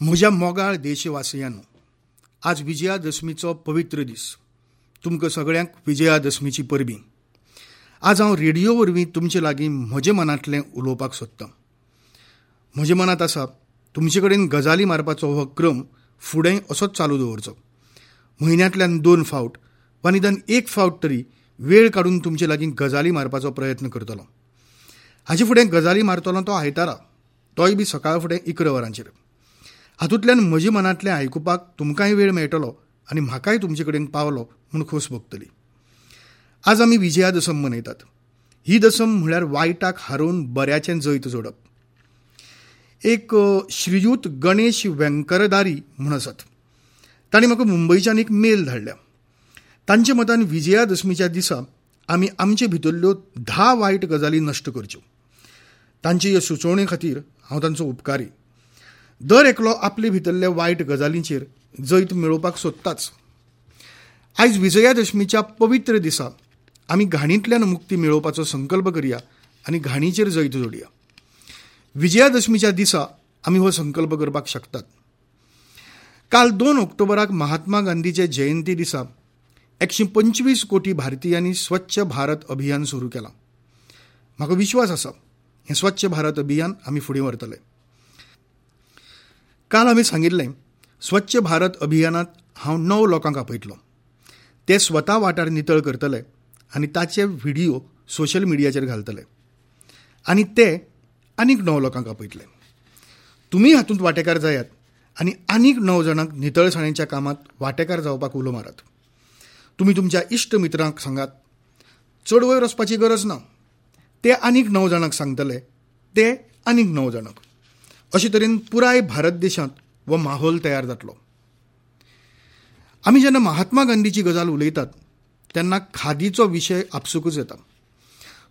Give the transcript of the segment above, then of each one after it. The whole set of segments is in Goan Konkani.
म्हज्या मोगाळ देशवासियांनो, आज विजयादशमीचो पवित्र दीस. तुमकां सगळ्यांक विजयादशमीची परबीं. आज हांव रेडियो वरवीं तुमचे लागीं म्हजे मनांतलें उलोवपाक सोदतां. म्हज्या मनांत आसा तुमचे कडेन गजाली मारपाचो हो क्रम फुडें असोच चालू दवरचो. म्हयन्यांतल्यान 2 फावट वा निदान 1 फावट तरी वेळ काडून तुमचे लागीं गजाली मारपाचो प्रयत्न करतलो. हाचे फुडें गजाली मारतलो तो आयतारा, तोय बी सकाळ फुडें 11 वरांचेर. हातूंतल्यान म्हज्या मनांतलें आयकुपाक तुमकांय वेळ मेळटलो आनी म्हाकाय तुमचे कडेन पावलो म्हूण खोस भोगतली. आज आमी विजयादशम मनयतात. ही दसम म्हळ्यार वायटाक हारोवन बऱ्याचें जैत जोडप. एक श्रीयुत गणेश वेंकरदारी म्हूण आसात, तांणी म्हाका मुंबयच्यान एक मेल धाडल्या. तांच्या मतान विजयादशमीच्या दिसा आमी आमचे भितरल्यो 10 वायट गजाली नश्ट करच्यो. तांचे हे सुचोवणे खातीर हांव तांचो उपकारी. दर एकलो आपले भितरल्या वायट गजालींचेर जैत मेळोवपाक सोदताच. आयज विजयादशमीच्या पवित्र दिसा आमी घाणींतल्यान मुक्ती मेळोवपाचो संकल्प करया आनी घाणीचेर जैत जोडया. विजयादशमीच्या दिसा आमी हो संकल्प करपाक शकतात. काल 2 ऑक्टोबराक महात्मा गांधीचे जयंती दिसा 125 कोटी भारतीयांनी स्वच्छ भारत अभियान सुरू केलां. म्हाका विश्वास आसा हें स्वच्छ भारत अभियान आमी फुडें व्हरतले. काल आमी सांगिल्लें स्वच्छ भारत अभियानांत हांव 9 लोकांक आपयतलो. ते स्वता वाठार नितळ करतले आनी ताचे व्हिडिओ सोशल मिडियाचेर घालतले आनी ते आनीक 9 लोकांक आपयतले. तुमी हातूंत वांटेकार जायात आनी आनीक 9 जाणांक नितळसाणेच्या कामांत वांटेकार जावपाक उलो मारात. तुमी तुमच्या इश्ट मित्रांक सांगात, चड वयर वचपाची गरज ना. ते आनीक 9 जाणांक सांगतले, ते आनीक 9 जाणांक. अशे तरेन पुराय भारत देशांत हो माहोल तयार जातलो. आमी जेन्ना महात्मा गांधीची गजाल उलयतात तेन्ना खादीचो विशय आपसुकूच येता.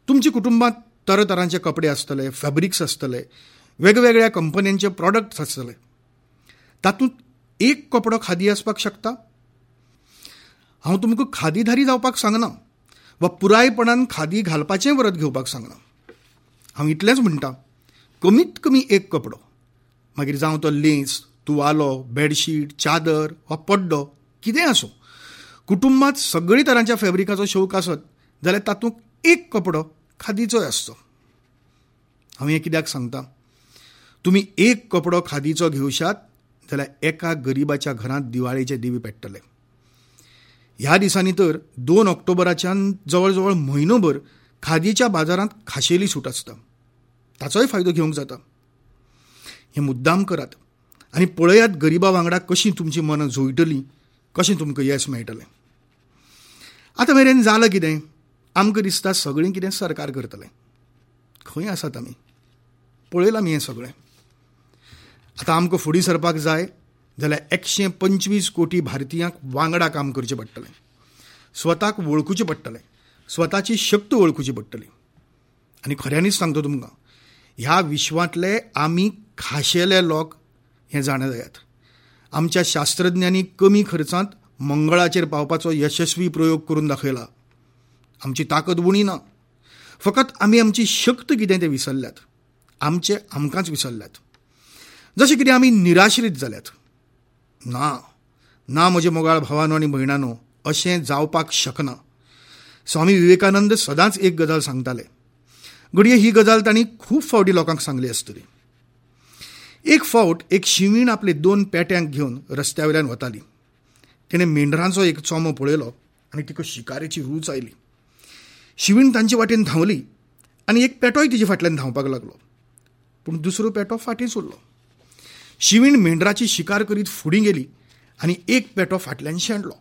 तुमच्या कुटुंबांत तरातरांचे कपडे आसतले, फॅब्रिक्स आसतले, वेगवेगळ्या कंपन्यांचे प्रॉडक्ट्स आसतले. तातूंत एक कपडो खादी आसपाक शकता. हांव तुमकां खादीधारी जावपाक सांगना वा पुरायपणान खादी घालपाचें व्रत घेवपाक सांगना. हांव इतलेंच म्हणटा, कमीत कमी एक कपडो, मागीर जावं तो लेंस, तुवालो, बेडशीट, चादर वा पड्डो, कितेंय आसूं, कुटुंबांत सगळी तरांच्या फॅब्रिकाचो शौक आसत जाल्यार तातूंत एक कपडो खादीचोय आसचो. हांव हें कित्याक सांगता, तुमी एक कपडो खादीचो घेवशात जाल्यार एका गरिबाच्या घरांत दिवाळेचे दिवे पेट्टले. ह्या दिसांनी तर 2 ऑक्टोबराच्यान जवळ जवळ म्हयनोभर खादीच्या बाजारांत खाशेली सूट आसता. ताचोय फायदो घेवंक जाता. हें मुद्दाम करात आनी पळयात गरिबा वांगडा कशीं तुमचीं मनां जुळटलीं, कशें तुमकां येस मेळटलें. आतां मेरेन जालां कितें, आमकां दिसता सगळें कितें सरकार करतलें. खंय आसात आमी, पळयलां आमी हें सगळें. आतां आमकां फुडें सरपाक जाय जाल्यार 125 कोटी भारतीयांक वांगडा काम करचें पडटलें. स्वताक वळखुचें पडटलें, स्वताची शक्त वळखुची पडटली. आनी खऱ्यांनीच सांगता तुमकां, ह्या विश्वांतले आमी खाशेले लोक हें जाणा जायात. आमच्या शास्त्रज्ञांनी कमी खर्चांत मंगळाचेर पावपाचो यशस्वी प्रयोग करून दाखयला. आमची ताकद उणी ना, फकत आमी आमची शक्त कितें तें विसरल्यात. आमचे आमकांच विसरल्यात. जशें कितें आमी निराश्रीत जाल्यात. ना ना म्हजे मोगाळ भावानो आनी भयणानो, अशें जावपाक शकना. स्वामी विवेकानंद सदांच एक गजाल सांगताले. घडये ही गजाल तांणी खूब फावटी लोकांक सांगली आसतली. एक फावट एक शिवीण आपले 2 पेट्यांक घेवन रस्त्या वयल्यान वताली. तिणें मेंढरांचो एक चोमो पळयलो आनी तिका शिकारेची रूच आयली. शिवीण तांचे वाटेन धांवली आनी एक पेटोय तिचे फाटल्यान धांवपाक लागलो, पूण दुसरो पेटो फाटींच उरलो. शिवीण मेंढराची शिकार करीत फुडें गेली आनी एक पेटो फाटल्यान शेणलो.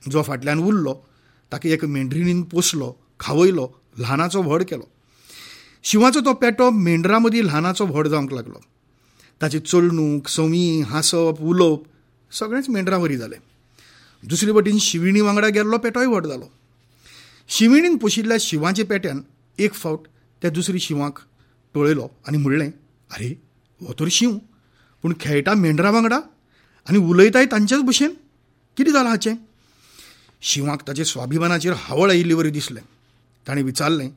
जो फाटल्यान उरलो ताका एक मेंढरिणीन पोसलो, खावयलो, ल्हानाचो व्हड केलो. शिंवाचो तो पेटो मेंढरां मदीं ल्हानाचो व्हड जावंक लागलो. ताची चलणूक, संवी, हांसप, उलोवप सगळेंच मेंढरां वरी जालें. दुसरे वटेन शिविणी वांगडा गेल्लो पेटोय व्हड जालो. शिविणीन पोशिल्ल्या शिंवाच्या पेट्यान एक फावट त्या दुसरी शिंवाक पळयलो आनी म्हणलें, आरे हो तर शींव, पूण खेळटा मेंढरां वांगडा आनी उलयताय तांचेच भशेन, कितें जालां हाचें? शिंवाक ताचे स्वाभिमानाचेर हावळ आयिल्ले वरी दिसलें. ताणें विचारलें,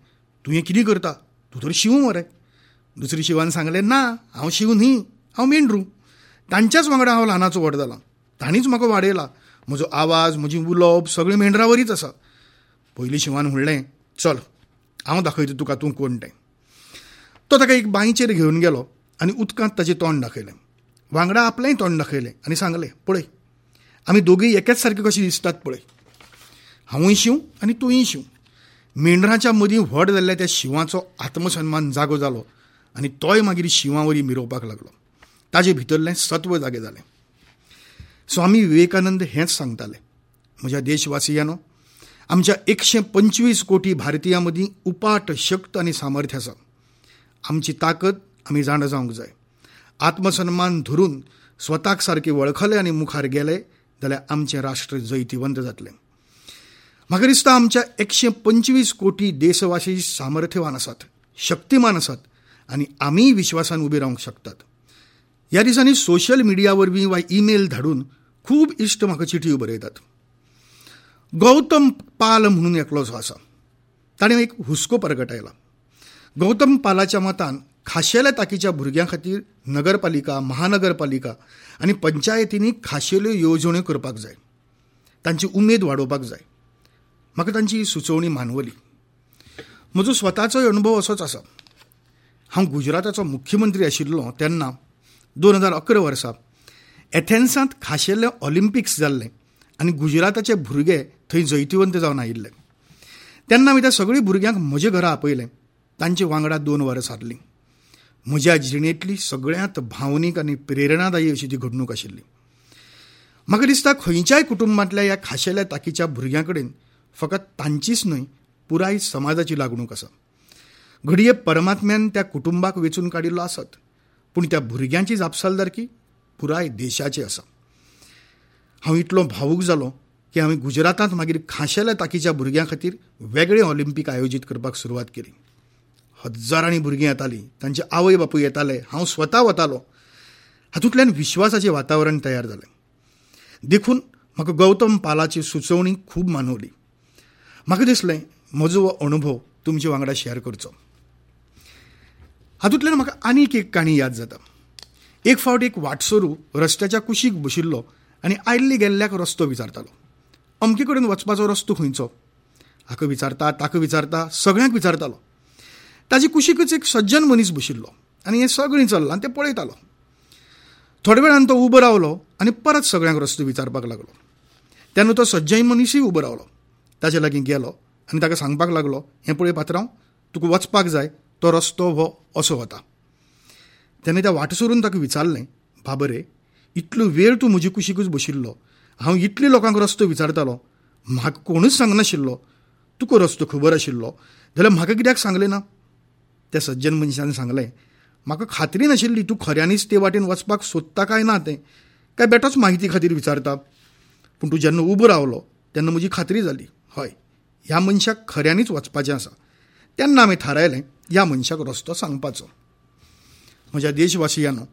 तूं हें कितें करता? तूं तर शींव मरे. दुसरी शिंवान सांगलें, ना, हांव शींव न्ही, हांव मेंढरू. तांच्याच वांगडा हांव ल्हानाचो व्हड जाला, तांणीच म्हाका वाडयला. म्हजो आवाज, म्हजी उलोवप सगळें मेंढरावरीच आसा. पयलीं शिंवान म्हणलें, चल हांव दाखयता तुका तूं कोण तें. तो ताका एक बांयचेर घेवन गेलो आनी उदकांत ताचें तोंड दाखयलें, वांगडा आपलेंय तोंड दाखयलें आनी सांगलें, पळय आमी दोगीय एकेच सारके कशे दिसतात पळय, हांवूय शींव आनी तूंय शींव. मेंढराच्या मदीं व्हड जाल्ल्या त्या शिंवाचो आत्मसन्मान जागो जालो आनी तोय मागीर शिंवावरी मिरोवपाक लागलो. ताजे भितरलें सत्व जागें जालें. स्वामी विवेकानंद हेंच सांगताले, म्हज्या देशवासियांनो, आमच्या 125 कोटी भारतीयां मदीं उपाट शक्त आनी सामर्थ्य आसा. आमची ताकद आमी जाणा जावंक जाय. आत्मसन्मान धरून स्वताक सारके वळखले आनी मुखार गेले जाल्यार आमचें राष्ट्र जैतिवंत जातलें. म्हाका दिसता आमच्या 125 कोटी देशवासी सामर्थ्यवान आसात, शक्तिमान आसात आनी आमीय विश्वासान उबे रावंक शकतात. ह्या दिसांनी सोशल मिडिया वरवीं वा ईमेल धाडून खूब इश्ट म्हाका चिटयो बरयतात. गौतम पाल म्हणून एकलो जो आसा ताणें एक हुस्को परगटायला. गौतम पालाच्या मतान खाशेल्या ताकीच्या भुरग्यां खातीर नगरपालिका, महानगरपालिका आनी पंचायतींनी खाशेल्यो येवजण्यो करपाक जाय, तांची उमेद वाडोवपाक जाय. म्हाका तांची सुचोवणी मानवली. म्हजो स्वताचोय अणभव असोच आसा. हांव गुजराताचो मुख्यमंत्री आशिल्लो तेन्ना 2011 वर्सा एथेन्सांत खाशेले ऑलिम्पिक्स जाल्लें आनी गुजराताचे भुरगे थंय जैतिवंत जावन आयिल्ले. तेन्ना हांवें त्या सगळीं भुरग्यांक म्हजे घरा आपयलें. तांचे वांगडा 2 वरां सारलीं. म्हज्या जिणेंतली सगळ्यांत भावनीक आनी प्रेरणादायी अशी ती घडणूक आशिल्ली. म्हाका दिसता खंयच्याय कुटुंबांतल्या ह्या खाशेल्या ताकीच्या भुरग्यां कडेन फकत तांचीच न्हय पुराय समाजाची लागणूक आसा. घडये परमात्म्यान त्या कुटुंबाक वेंचून काडिल्लो आसत, पूण त्या भुरग्यांची जापसालदारकी पुराय देशाची आसा. हांव इतलो भावूक जालो की हांवें गुजरातांत मागीर खाशेल्या ताकीच्या भुरग्यां खातीर वेगळे ऑलिम्पीक आयोजीत करपाक सुरवात केली. हजारांनी भुरगीं येतालीं, तांचे आवय बापूय येताले, हांव स्वता वतालो. हातूंतल्यान विश्वासाचें वातावरण तयार जालें. देखून म्हाका गौतम पालाची सुचोवणी खूब मानवली. म्हाका दिसलें म्हजो हो अणभव तुमचे वांगडा शेअर करचो. हातूंतल्यान म्हाका आनीक एक काणी याद जाता. एक फावट एक वाटसरू रस्त्याच्या कुशीक बशिल्लो आनी आयिल्ले गेल्ल्याक रस्तो विचारतालो. अमके कडेन वचपाचो रस्तो खंयचो? हाका विचारता, ताका विचारता, सगळ्यांक विचारतालो. ताजे कुशीकच एक सज्जन मनीस बशिल्लो आनी हें सगळें चल्लां आनी तें पळयतालो. थोड्या वेळान तो उबो रावलो आनी परत सगळ्यांक रस्तो विचारपाक लागलो. तेन्ना तो सज्जन मनीसूय उबो रावलो. ताजे लागीं गेलो आनी ताका सांगपाक लागलो, हें पळय पात्रांव, तुका वचपाक जाय तो रस्तो हो असो वता. तेन्ना त्या वाटसरून ताका विचारलें, बाबा रे, इतलो वेळ तूं म्हजे कुशीकच बशिल्लो, हांव इतले लोकांक रस्तो विचारतालो, म्हाका कोणूच सांगनाशिल्लो, तुका रस्तो खबर आशिल्लो जाल्यार म्हाका कित्याक सांगलें ना? त्या सज्जन मनशान सांगलें, म्हाका खात्री नाशिल्ली तूं खऱ्यांनीच ते वाटेन वचपाक सोदता काय ना तें, काय बेटोच माहिती खातीर विचारता. पूण तूं जेन्ना उबो रावलो तेन्ना म्हजी खात्री जाली, हय ह्या मनशाक खऱ्यांनीच वचपाचें आसा. तेन्ना आमी थारायलें ह्या मनशाक रस्तो सांगपाचो. म्हज्या देशवासियांनो,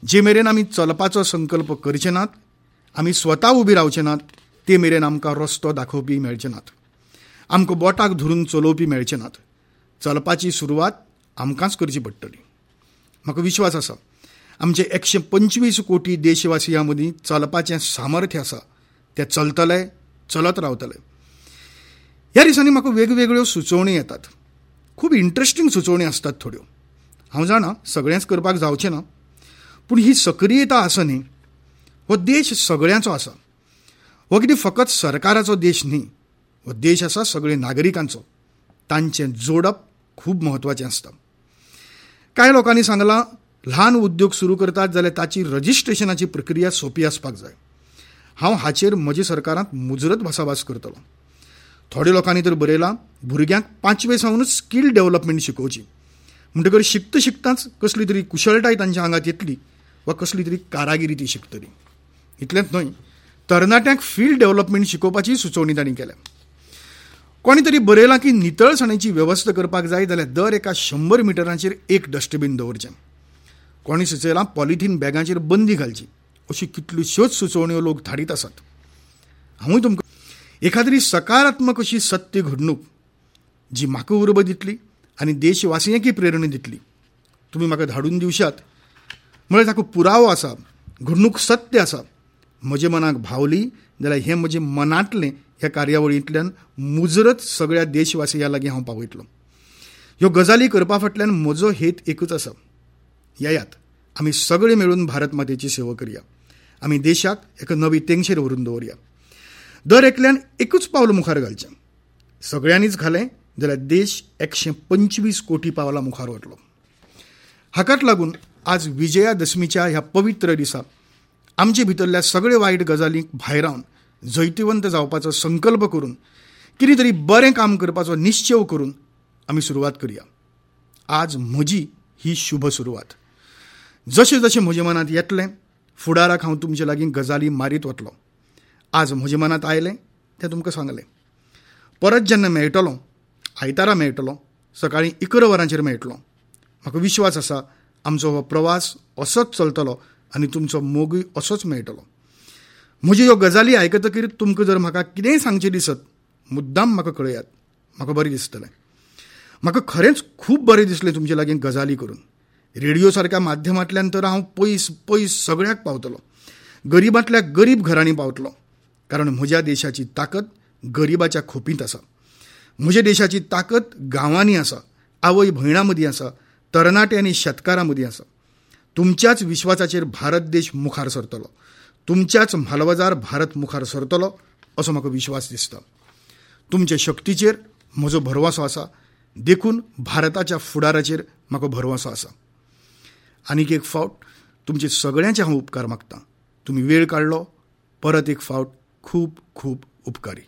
जे मेरेन आमी चलपाचो संकल्प करचे नात, आमी स्वता उबी रावचे नात, ते मेरेन आमकां रस्तो दाखोवपी मेळचे नात, आमकां बोटाक धरून चलोवपी मेळचे नात. चलपाची सुरवात आमकांच करची पडटली. म्हाका विश्वास आसा आमचे 125 कोटी देशवासियां मदीं चलपाचें सामर्थ्य आसा. ते चलतले, चलत रावतले. ह्या दिसांनी म्हाका वेगवेगळ्यो सुचोवणी येतात. खूब इंट्रस्टींग सुचोवणी आसतात थोड्यो. हांव जाणा सगळेंच करपाक जावचें ना, पूण ही सक्रियता आसा न्ही, हो देश सगळ्यांचो आसा. हो कितें फकत सरकाराचो देश न्ही, हो देश आसा सगळे नागरिकांचो. तांचें जोडप खूब म्हत्वाचें आसता. कांय लोकांनी सांगलां, ल्हान उद्योग सुरू करतात जाल्यार ताची रजिस्ट्रेशनाची प्रक्रिया सोंपी आसपाक जाय. हांव हाचेर म्हज्या सरकारांत मुजरत भासाभास करतलो. थोड्या लोकांनी तर बरयलां, भुरग्यांक 5वे सावनूच स्कील डेव्हलपमेंट शिकोवची, म्हणटकर शिकता शिकताच कसली तरी कुशळटाय तांच्या आंगात येतली वा कसली तरी कारागिरी ती शिकतली. इतलेंच न्हय, तरणाट्यांक फील्ड डेव्हलपमेंट शिकोवपाची सुचोवणी तांणी केल्या. कोणी तरी बरयलां की नितळसाणेची वेवस्था करपाक जाय जाल्यार दर एका 100 मिटरांचेर एक डस्टबीन दवरचें. कोणी सुचयलां पॉलिथीन बॅगांचेर बंदी घालची. अशी कितल्योश्योच सुचोवण्यो लोक धाडीत आसात. हांवूय तुमकां एखाद्री सकारात्मक अशी सत्य घडणूक जी म्हाका उर्बा दितली आनी देशवासियांकय प्रेरणा दितली, तुमी म्हाका धाडून दिवशात म्हळ्यार ताका पुरावो आसा घडणूक सत्य आसा. म्हज्या मनाक भावली जाल्यार हें म्हजें मनांतलें ह्या कार्यावळींतल्यान मुजरत सगळ्या देशवासियां लागीं हांव पावयतलो. ह्यो गजाली करपा फाटल्यान म्हजो हेत एकूच आसा, येयात आमी सगळे मेळून भारत मातेची सेवा करया, आमी देशाक एका नवी तेंगशेर व्हरून दवरया. दर एकल्यान एकूच पावल मुखार घालचें, सगळ्यांनीच घालें जाल्यार देश 125 कोटी पावलां मुखार वतलो. हाकाच लागून आज विजयादशमीच्या ह्या पवित्र दिसा आमचे भितरल्या सगळे वायट गजालींक भायरावन जैतिवंत जावपाचो संकल्प करून कितें तरी बरें काम करपाचो निश्चेव करून आमी सुरवात करया. आज म्हजी ही शुभ सुरवात. जशें जशें म्हज्या मनांत येतलें फुडाराक हांव तुमचे लागीं गजाली मारीत वतलो. आज म्हज्या मनांत आयलें तें तुमकां सांगलें. परत जेन्ना मेळटलो, आयतारा मेळटलो, सकाळीं 11 वरांचेर मेळटलो. म्हाका विश्वास आसा आमचो हो प्रवास असोच चलतलो आनी तुमचो मोगूय असोच मेळटलो. म्हज्यो ह्यो गजाली आयकतकीर तुमकां जर म्हाका कितेंय सांगचें दिसत मुद्दाम म्हाका कळयात, म्हाका बरें दिसतलें. म्हाका खरेंच खूब बरें दिसलें तुमचे लागीं गजाली करून. रेडियो सारक्या माध्यमांतल्यान तर हांव पयस पयस सगळ्याक पावतलो, गरिबांतल्या गरीब घरांनी पावतलो. कारण म्हज्या देशाची ताकद गरिबाच्या खोपींत आसा, म्हज्या देशाची ताकद गांवांनी आसा, आवय भयणां मदीं आसा, तरणाटे आनी शेतकारां मदीं आसा. तुमच्याच विश्वासाचेर भारत देश मुखार सरतलो, तुमच्याच म्हालवजार भारत मुखार सरतलो असो म्हाका विश्वास दिसता. तुमचे शक्तीचेर म्हजो भरवंसो आसा, देखून भारताच्या फुडाराचेर म्हाका भरवंसो आसा. आनीक एक फावट तुमचे सगळ्यांचे हांव उपकार मागतां. तुमी वेळ काडलो, परत एक फावट खूब खूब उपकारी.